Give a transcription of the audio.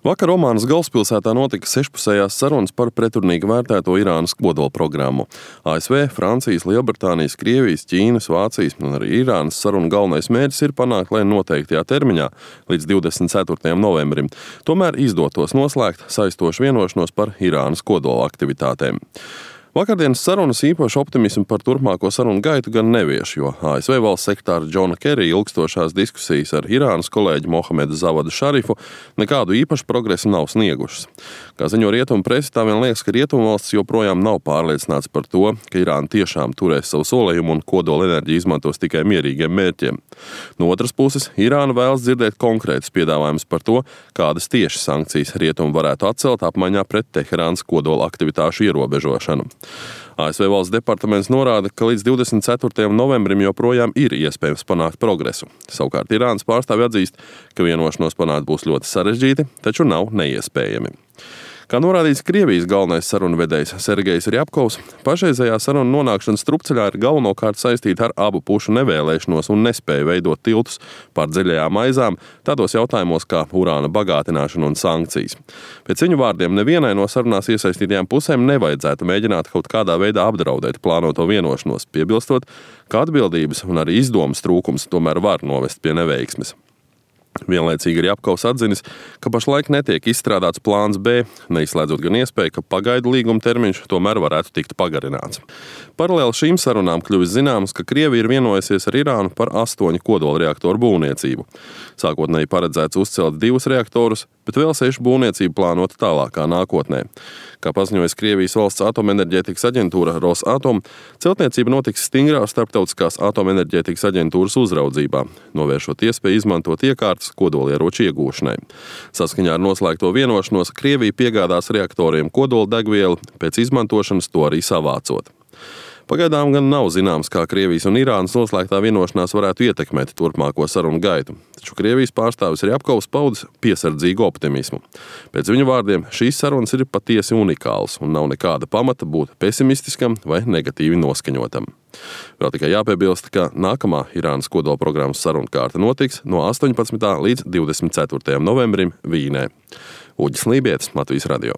Vakar Omānas galvaspilsētā notika sešpusējās sarunas par pretrunīgi vērtēto Irānas kodolprogrammu. ASV, Francijas, Lielbritānijas, Krievijas, Ķīnas, Vācijas un arī Irānas sarunu galvenais mērķis ir panākt, lai noteiktajā termiņā līdz 24. novembrim tomēr izdotos noslēgt saistošu vienošanos par Irānas kodola aktivitātēm. Vakardienas sarunas īpaši optimismu par turpmāko sarunu gaitu gan nevieš, jo ASV valsts sekretāra Džona Kerija ilgstošās diskusijas ar Irānas kolēģi Mohamedu Zavadu Šarifu nekādu īpašu progresu nav sniegušas. Kā ziņo rietumu presi, tā vien liekas, ka rietumvalstis joprojām nav pārliecināts par to, ka Irāna tiešām turēs savu solījumu un kodola enerģiju izmantos tikai mierīgiem mērķiem. No otras puses, Irāna vēlas dzirdēt konkrētus piedāvājumus par to, kādas tieši sankcijas rietumu varētu atcelt apmaiņā pret Teherānas kodola aktivitāšu ierobežošanu. ASV valsts departaments norāda, ka līdz 24. novembrim joprojām ir iespējams panākt progresu. Savukārt Irānas pārstāvji atzīst, ka vienošanos panākt būs ļoti sarežģīti, taču nav neiespējami. Kā norādīts Krievijas galvenais sarunvedējs Sergejs Rjapkovs, pašreizējā saruna nonākšana strupceļā ir galvenokārt saistīta ar abu pušu nevēlēšanos un nespēju veidot tiltus pār dziļajām aizām tādos jautājumos kā urāna bagātināšana un sankcijas. Pēc viņu vārdiem nevienai no sarunās iesaistītajām pusēm nevajadzētu mēģināt kaut kādā veidā apdraudēt plānoto vienošanos, piebilstot, ka atbildības un arī izdomas trūkums tomēr var novest pie neveiksmes. Vienlaicīgi ir Rjapkovs atzinis, ka pašlaik netiek izstrādāts plāns B, neizslēdzot gan iespēju, ka pagaidu līguma termiņš tomēr varētu tikt pagarināts. Paralēli šīm sarunām kļuvis zināms, ka Krievija ir vienojusies ar Irānu par 8 kodolreaktoru būvniecību. Sākotnēji paredzēts uzcelt 2 reaktorus, bet vēl 6 būvniecību plānota tālākā nākotnē. Kā paziņojas Krievijas valsts atomenerģētikas aģentūra Rosatom, celtniecība notiks stingrā starptautiskās atomenerģētikas aģentūras uzraudzībā, novēršot iespēju izmantot iekārtas kodolieroču iegūšanai. Saskaņā ar noslēgto vienošanos Krievija piegādās reaktoriem kodoldegvielu, pēc izmantošanas to arī savācot. Pagaidām gan nav zināms, kā Krievijas un Irānas noslēgtā vienošanās varētu ietekmēt turpmāko sarunu gaitu, taču Krievijas pārstāvis Rjapkovs paudis piesardzīgu optimismu. Pēc viņa vārdiem šīs sarunas ir patiesi unikālas un nav nekāda pamata būt pesimistiskam vai negatīvi noskaņotam. Vēl tikai jāpiebilst, ka nākamā Irānas kodolprogrammas sarunu kārta notiks no 18. līdz 24. novembrim Vīnē. Uģis Lībietis, Latvijas radio.